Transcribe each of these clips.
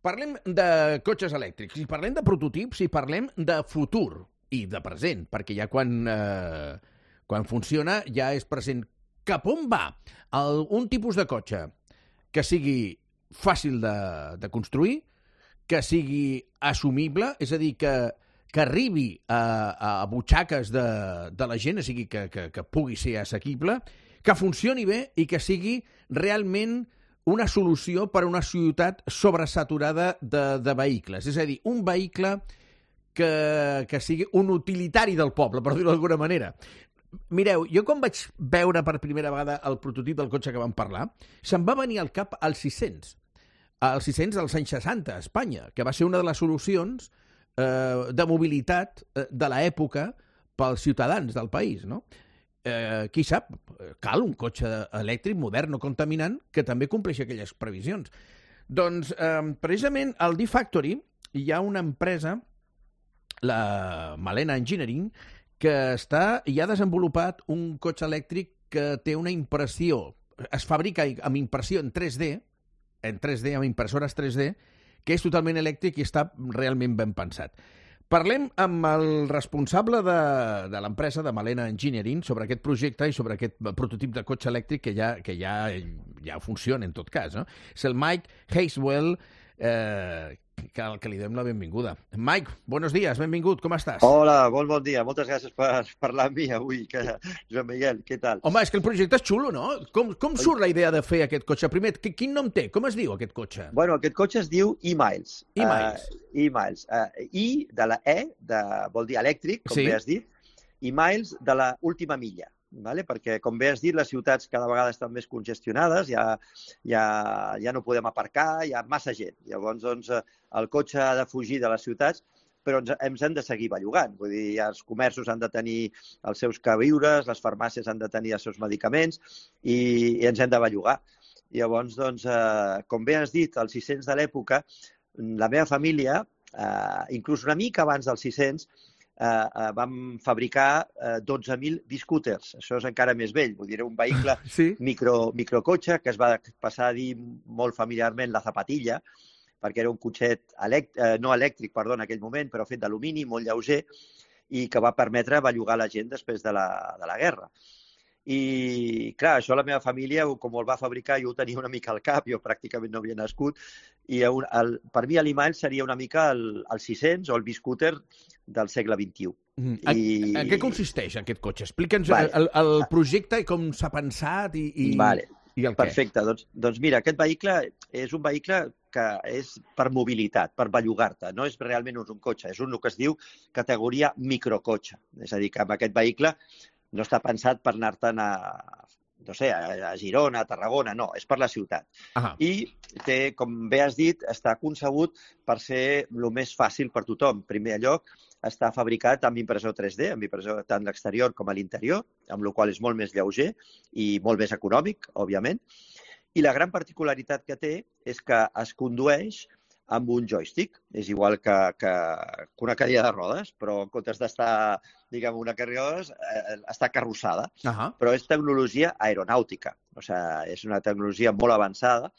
Parlem de cotxes elèctrics, i parlem de prototips, i parlem de futur i de present, perquè ja quan funciona ja és present. Cap on va un tipus de cotxe que sigui fàcil de construir, que sigui assumible, és a dir, que arribi a butxaques de la gent, o sigui, que pugui ser assequible, que funcioni bé i que sigui realment una solució per a una ciutat sobresaturada de vehicles. És a dir, un vehicle que sigui un utilitari del poble, per dir-ho d'alguna manera. Mireu, jo quan vaig veure per primera vegada el prototip del cotxe que vam parlar, se'm va venir al cap el 600. El 600 als anys 60 a Espanya, que va ser una de les solucions de mobilitat de l'època pels ciutadans del país, no? Qui sap, cal un cotxe elèctric modern, no contaminant, que també compleixi aquelles previsions. Doncs, precisament, al D-Factory hi ha una empresa, la Malena Engineering, que ha desenvolupat un cotxe elèctric que té una impressió, es fabrica amb impressió en 3D, amb impressores 3D, que és totalment elèctric i està realment ben pensat. Parlem amb el responsable de l'empresa de Malena Engineering sobre aquest projecte i sobre aquest prototip de cotxe elèctric que ja funciona en tot cas, no? És el Mike Haswell, que li donem la benvinguda. Mike, buenos días, benvingut, com estàs? Hola, bon dia. Moltes gràcies per parlar amb mi avui, Joan Miguel, què tal? Home, és que el projecte és xulo, no? Com surt la idea de fer aquest cotxe? Primer, quin nom té? Com es diu aquest cotxe? Bueno, aquest cotxe es diu e-Miles. E-Miles. E-Miles. I de la vol dir elèctric, com bé has dit, i Miles de la última milla. Vale? Perquè, com bé has dit, les ciutats cada vegada estan més congestionades, ja no podem aparcar, hi ha massa gent. Llavors, doncs, el cotxe ha de fugir de les ciutats, però ens hem de seguir bellugant. Vull dir, els comerços han de tenir els seus queviures, les farmàcies han de tenir els seus medicaments i ens hem de bellugar. Llavors, doncs, com bé has dit, als 600 de l'època, la meva família, inclús una mica abans dels 600, vam fabricar 12.000 biscooters. Això és encara més vell. Vull dir, un vehicle microcotxe que es va passar a dir molt familiarment la zapatilla, perquè era un cotxet no elèctric, en aquell moment, però fet d'alumini, molt lleuger, i que va permetre bellugar la gent després de la guerra. I, clar, això la meva família, com el va fabricar, jo ho tenia una mica al cap, jo pràcticament no havia nascut, i per mi l'e-Miles seria una mica el 600 o el biscooter del segle XXI. En què consisteix aquest cotxe? Explica'ns el projecte i com s'ha pensat i el què. Perfecte. Doncs mira, aquest vehicle és un vehicle que és per mobilitat, per bellugar-te. No és realment un cotxe, és el que es diu categoria microcotxe. És a dir, que amb aquest vehicle no està pensat per anar-te'n a Girona, a Tarragona, no, és per la ciutat. I té, com bé has dit, està concebut per ser el més fàcil per tothom. En primer lloc, està fabricat amb impressor 3D, amb impressor tant l'exterior com a l'interior, amb la qual és molt més lleuger i molt més econòmic, òbviament. I la gran particularitat que té és que es condueix amb un joystick. És igual que una cadira de rodes, però en comptes d'estar, diguem, una cadira de rodes, està carrossada. Però és tecnologia aeronàutica. O sigui, és una tecnologia molt avançada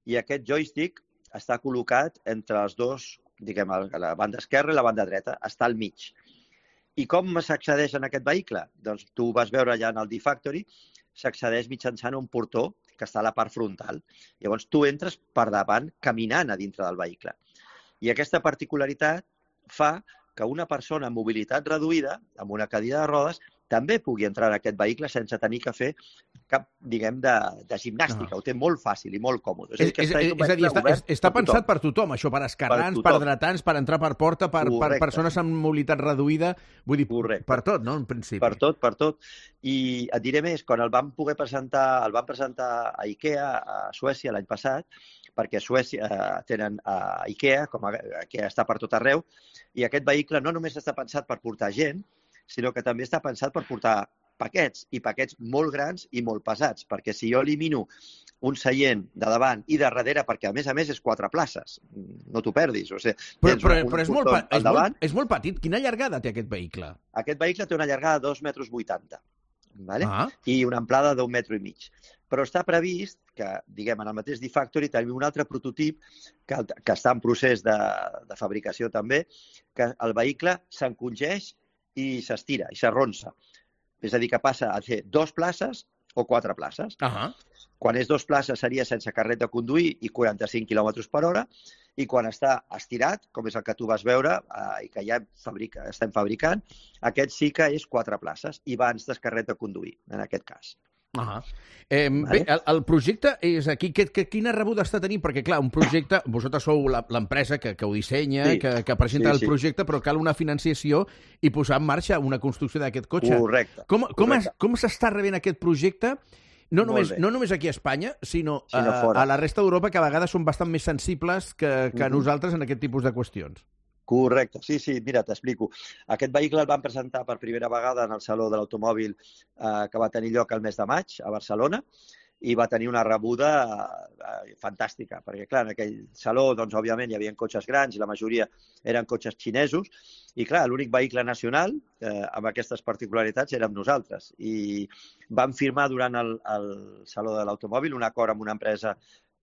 i aquest joystick està col·locat entre els dos, diguem, la banda esquerra i la banda dreta. Està al mig. I com s'accedeix en aquest vehicle? Doncs tu ho vas veure allà en el D-Factory, s'accedeix mitjançant un portó que està a la part frontal. Llavors, tu entres per davant caminant a dintre del vehicle. I aquesta particularitat fa que una persona amb mobilitat reduïda, amb una cadira de rodes, també pugui entrar en aquest vehicle sense tenir que fer cap, diguem, de gimnàstica. Ho té molt fàcil i molt còmode. És a dir, està pensat per tothom, això, per esquerrans, per dretans, per entrar per porta, per persones amb mobilitat reduïda, vull dir, per tot, no?, en principi. Per tot. I et diré més, quan el van presentar a IKEA a Suècia l'any passat, perquè a Suècia tenen IKEA, que està per tot arreu, i aquest vehicle no només està pensat per portar gent, sinó que també està pensat per portar paquets, i paquets molt grans i molt pesats, perquè si jo elimino un seient de davant i de darrere, perquè a més és 4 places, no t'ho perdis. O sigui, però és molt petit. Quina llargada té aquest vehicle? Aquest vehicle té una llargada de 2,80 m, i una amplada d'1,5 m. Però està previst que, diguem, en el mateix D-Factory tenim un altre prototip que està en procés de fabricació també, que el vehicle s'encongeix i s'estira, i s'arronsa. És a dir, que passa a ser 2 places o 4 places. Quan és 2 places seria sense carnet de conduir i 45 km per hora, i quan està estirat, com és el que tu vas veure i que ja estem fabricant, aquest sí que és 4 places i va sense carnet de conduir, en aquest cas. Bé, el projecte és aquí. Quina rebuda està tenint? Perquè, clar, un projecte, vosaltres sou l'empresa que ho dissenya, que presenta el projecte, però cal una financiació i posar en marxa una construcció d'aquest cotxe. Correcte. Com s'està rebent aquest projecte? No només aquí a Espanya, sinó a la resta d'Europa, que a vegades són bastant més sensibles que nosaltres en aquest tipus de qüestions. Correcte. Sí, mira, t'explico. Aquest vehicle el van presentar per primera vegada en el Saló de l'Automòbil que va tenir lloc el mes de maig a Barcelona i va tenir una rebuda fantàstica, perquè, clar, en aquell saló, doncs, òbviament, hi havia cotxes grans i la majoria eren cotxes xinesos i, clar, l'únic vehicle nacional amb aquestes particularitats érem nosaltres. I vam firmar durant el Saló de l'Automòbil un acord amb una empresa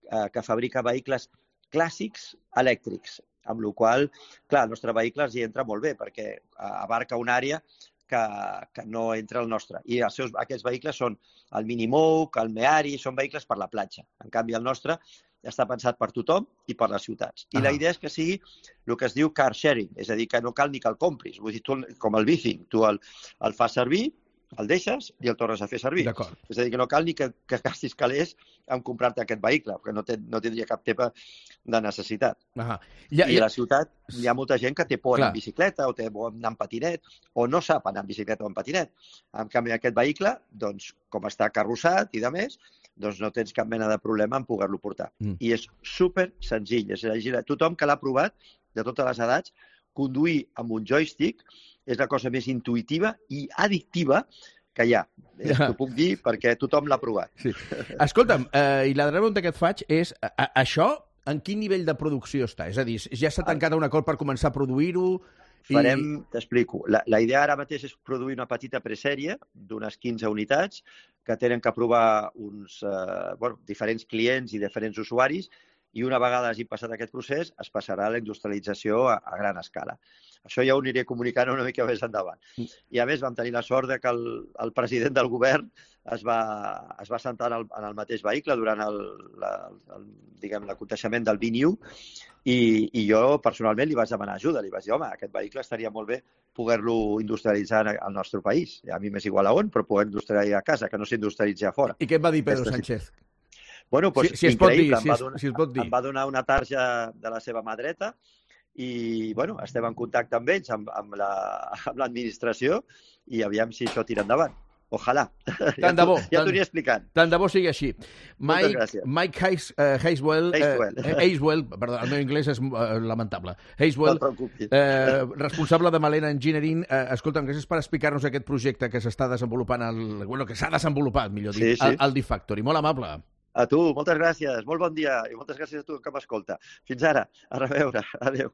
que fabrica vehicles clàssics elèctrics, amb la qual cosa, clar, el nostre vehicle els hi entra molt bé perquè abarca una àrea que no entra al nostre. I aquests vehicles són el Minimoog, el Meari, són vehicles per la platja. En canvi, el nostre està pensat per tothom i per les ciutats. I la idea és que sigui el que es diu car sharing, és a dir, que no cal ni que el compris. Vull dir, tu, com el bicing, tu el fas servir, el deixes i el tornes a fer servir. És a dir, que no cal ni que gastis calés en comprar-te aquest vehicle, perquè no tindria cap tipus de necessitat. I a la ciutat hi ha molta gent que té por anar en bicicleta o té por anar en patinet o no sap anar en bicicleta o en patinet. En canvi, aquest vehicle, doncs, com està carrossat i de més, doncs no tens cap mena de problema en poder-lo portar. I és super senzill. És a dir, tothom que l'ha provat, de totes les edats, conduir amb un joystick és la cosa més intuïtiva i addictiva que hi ha. T'ho puc dir perquè tothom l'ha provat. Escolta'm, i la pregunta que et faig és, això en quin nivell de producció està? És a dir, ja s'ha tancat un acord per començar a produir-ho? T'explico. La idea ara mateix és produir una petita presèrie d'unes 15 unitats que tenen que provar uns diferents clients i diferents usuaris i una vegada hagi passat aquest procés es passarà a la industrialització a gran escala. Això ja ho aniré comunicant una mica més endavant. I a més vam tenir la sort que el president del govern es va sentar en el mateix vehicle durant l'aconteixement del VNU i jo personalment li vaig demanar ajuda. Li vaig dir, home, aquest vehicle estaria molt bé poder-lo industrialitzar al nostre país. A mi m'és igual a on, però poder industrialitzar a casa, que no s'industrialitzi a fora. I què et va dir Pedro Sánchez? Bueno, doncs si increïble. Si es pot dir. Em va donar una tarja de la seva mà dreta i, bueno, estem en contacte amb ells, amb l'administració i aviam si això tira endavant. Ojalà. Tant de bo. Ja t'ho aniré explicant. Tant de bo sigui així. Moltes gràcies. Mike Hazewell, perdó, el meu anglès és lamentable. Hazewell, no et preocupis. Responsable de Malena Engineering. Escolta'm, gràcies per explicar-nos aquest projecte que s'està desenvolupant, que s'ha desenvolupat, millor dit, al D-Factory. Molt amable. A tu, moltes gràcies. Molt bon dia i moltes gràcies a tu que m'escolta. Fins ara. A reveure. Adéu.